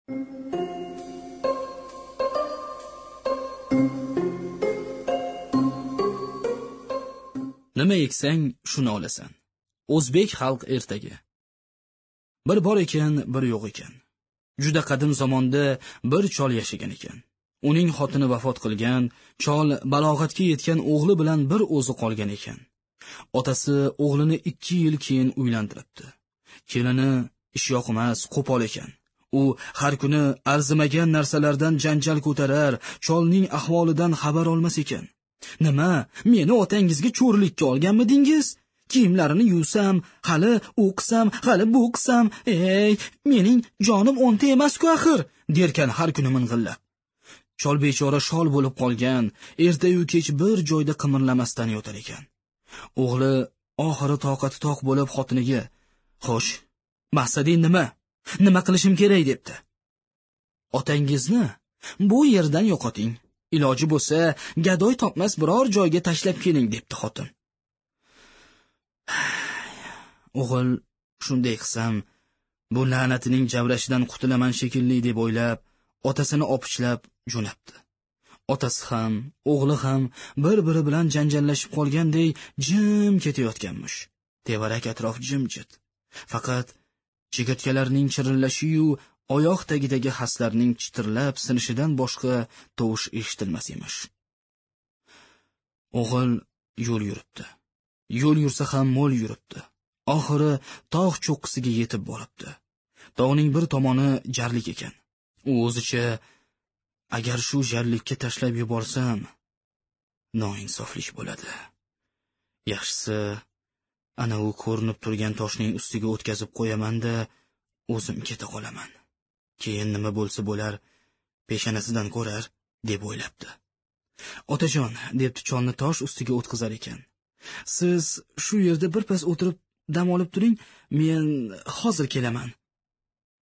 Nima eksang, shuni olasan. O'zbek xalq ertagi. Bir bor ekan, bir yo'q ekan. Juda qadim zamonda bir chol yashagan ekan. Uning xotini vafot qilgan, chol balog'atga yetgan o'g'li bilan bir o'zi qolgan ekan. Otasi o'g'lini 2 yil keyin uylantiribdi. Kelini ishyoqmas, qo'pol ekan. U har kuni arzimagan narsalardan janjal ko'tarar, cholning ahvolidan xabar olmas ekan. Nima, meni otangizga cho'rlikka olganmidingiz? Kiyimlarini yuvsam, hali o'qisam, hali bu qilsam, ey, mening jonim o'nta emas-ku axir, derkan har kuni ming'illab. Chol bechora shol bo'lib qolgan, erta-yu kech bir joyda qimirlamasdan yotar ekan. O'g'li oxiri toqati toq bo'lib xotiniga: "Xo'sh, maqsading nima? Nima qilishim kerak?" debdi. "Otangizni bu yerdan yo'qoting. Iloji bo'lsa, gadoy topmas biror joyga tashlab keling" debdi xotin. O'g'il shunday qilsam, bu la'natining javrashidan qutulaman shekilli deb o'ylab, otasini opichlab jo'nabdi. Otasi ham, o'g'li ham bir-biri bilan janjallashib qolganday jim ketayotganmish. Tevarak atrof jimjit. Faqat chigirtkalarning chirillashi-yu oyoq tagidagi haslarning chitirlab sinishidan boshqa tovush eshitilmas emish. O'g'il yo'l yuribdi. Yo'l yursa ham mo'l yuribdi. Oxiri tog' cho'qqisiga yetib boribdi. Tog'ning bir tomoni jarlik ekan. U o'zicha, agar shu jarlikka tashlab yuborsam, noinsoflik bo'ladi. Yaxshisi, ana u ko'rinib turgan toshning ustiga o'tkazib qo'yaman-da, o'zim keta qolaman. Keyin nima bo'lsa bo'lar, peshonasidan ko'rar, deb o'ylabdi. Otajon, debdi cholni tosh ustiga o'tkazar ekan. Siz shu yerda birpas o'tirib dam olib turing, men hozir kelaman.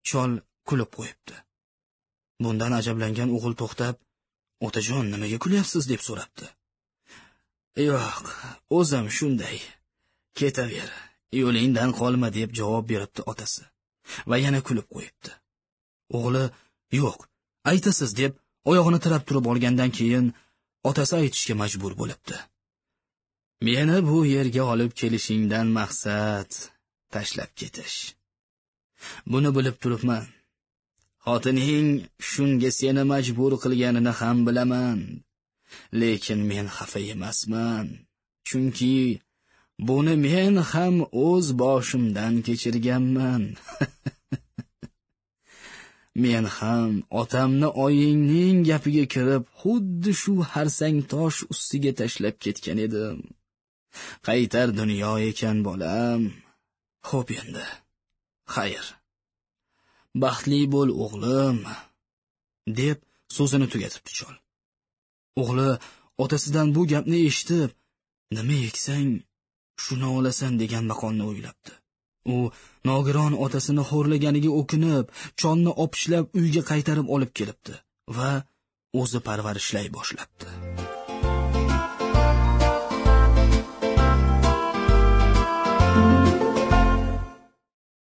Chol kulib qo'yibdi. Bundan ajablangan o'g'il to'xtab, "Otajon, nimaga kulyapsiz?" deb so'rabdi. "Yo'q, o'zim shunday. Ketaver, yo'lingdan qolma" deb javob beribdi otasi va yana kulib qo'yibdi. O'g'li, "Yo'q, aytasiz" deb oyog'ini tirab turib olgandan keyin otasi aytishga majbur bo'libdi. "Meni bu yerga olib kelishingdan maqsad tashlab ketish. Buni bilib turibman. Xotining shunga seni majbur qilganini ham bilaman. Lekin men xafa emasman, chunki buni men ham o'z boshimdan kechirganman. Men ham otamni oyingning gapiga kirib, xuddi shu harsang tosh ustiga tashlab ketgan edim. Qaytar dunyo ekan bolam. Xo'p endi. Xayr. Baxtli bo'l o'g'lim", deb so'zini tugatibdi chol. O'g'li otasidan bu gapni eshitib, nima eksang shuni olasan degan maqolni o'ylabdi. U nogiron otasini xo'rlaganiga o'kinib, cholni opishlab uyga qaytarib olib kelibdi va o'zi parvarishlay boshlabdi.